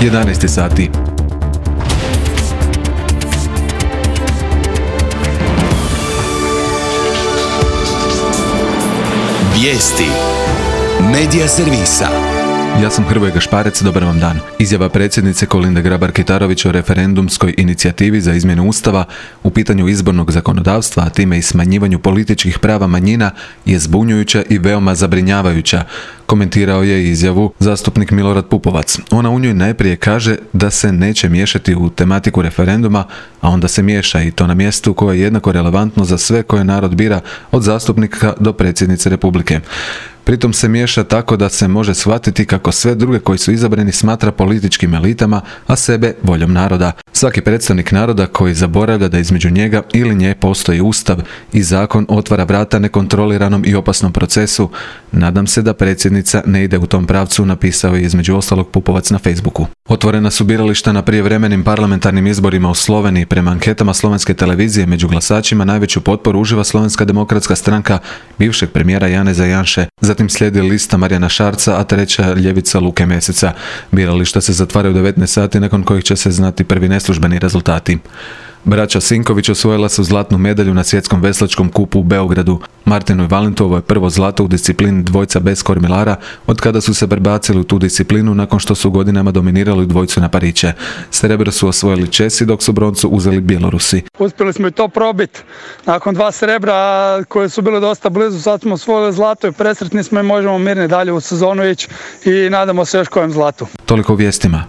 11 sati. Vijesti Medija servisa. Ja sam Hrvoje Gašparec, dobar vam dan. Izjava predsjednice Kolinde Grabar-Kitarović o referendumskoj inicijativi za izmjenu Ustava u pitanju izbornog zakonodavstva, a time i smanjivanju političkih prava manjina, je zbunjujuća i veoma zabrinjavajuća, komentirao je izjavu zastupnik Milorad Pupovac. Ona u njoj najprije kaže da se neće miješati u tematiku referenduma, a onda se miješa, i to na mjestu koje je jednako relevantno za sve koje narod bira, od zastupnika do predsjednice Republike. Pritom se miješa tako da se može shvatiti kako sve druge koji su izabrani smatra političkim elitama, a sebe voljom naroda. Svaki predstavnik naroda koji zaboravlja da između njega ili nje postoji Ustav i zakon otvara vrata nekontroliranom i opasnom procesu. Nadam se da predsjednica ne ide u tom pravcu, napisao je između ostalog Pupovac na Facebooku. Otvorena su birališta na prijevremenim parlamentarnim izborima u Sloveniji. Prema anketama slovenske televizije među glasačima najveću potporu uživa Slovenska demokratska stranka bivšeg premijera Janeza Janše. Zatim slijedi lista Marijana Šarca, a treća ljevica Luke Meseca. Birališta se zatvaraju u 19 sati, nakon kojih će se znati prvi neslužbeni rezultati. Braća Sinković osvojila su zlatnu medalju na svjetskom veslačkom kupu u Beogradu. Martinu i Valentu ovo je prvo zlato u disciplini dvojca bez kormilara od kada su se prebacili u tu disciplinu nakon što su godinama dominirali dvojcu na pariće. Srebro su osvojili Česi, dok su broncu uzeli Bjelorusi. Uspjeli smo i to probiti. Nakon 2 srebra koje su bile dosta blizu, sad smo osvojili zlato i presretni smo i možemo mirni dalje u sezonu ići i nadamo se još kojem zlatu. Toliko u vijestima.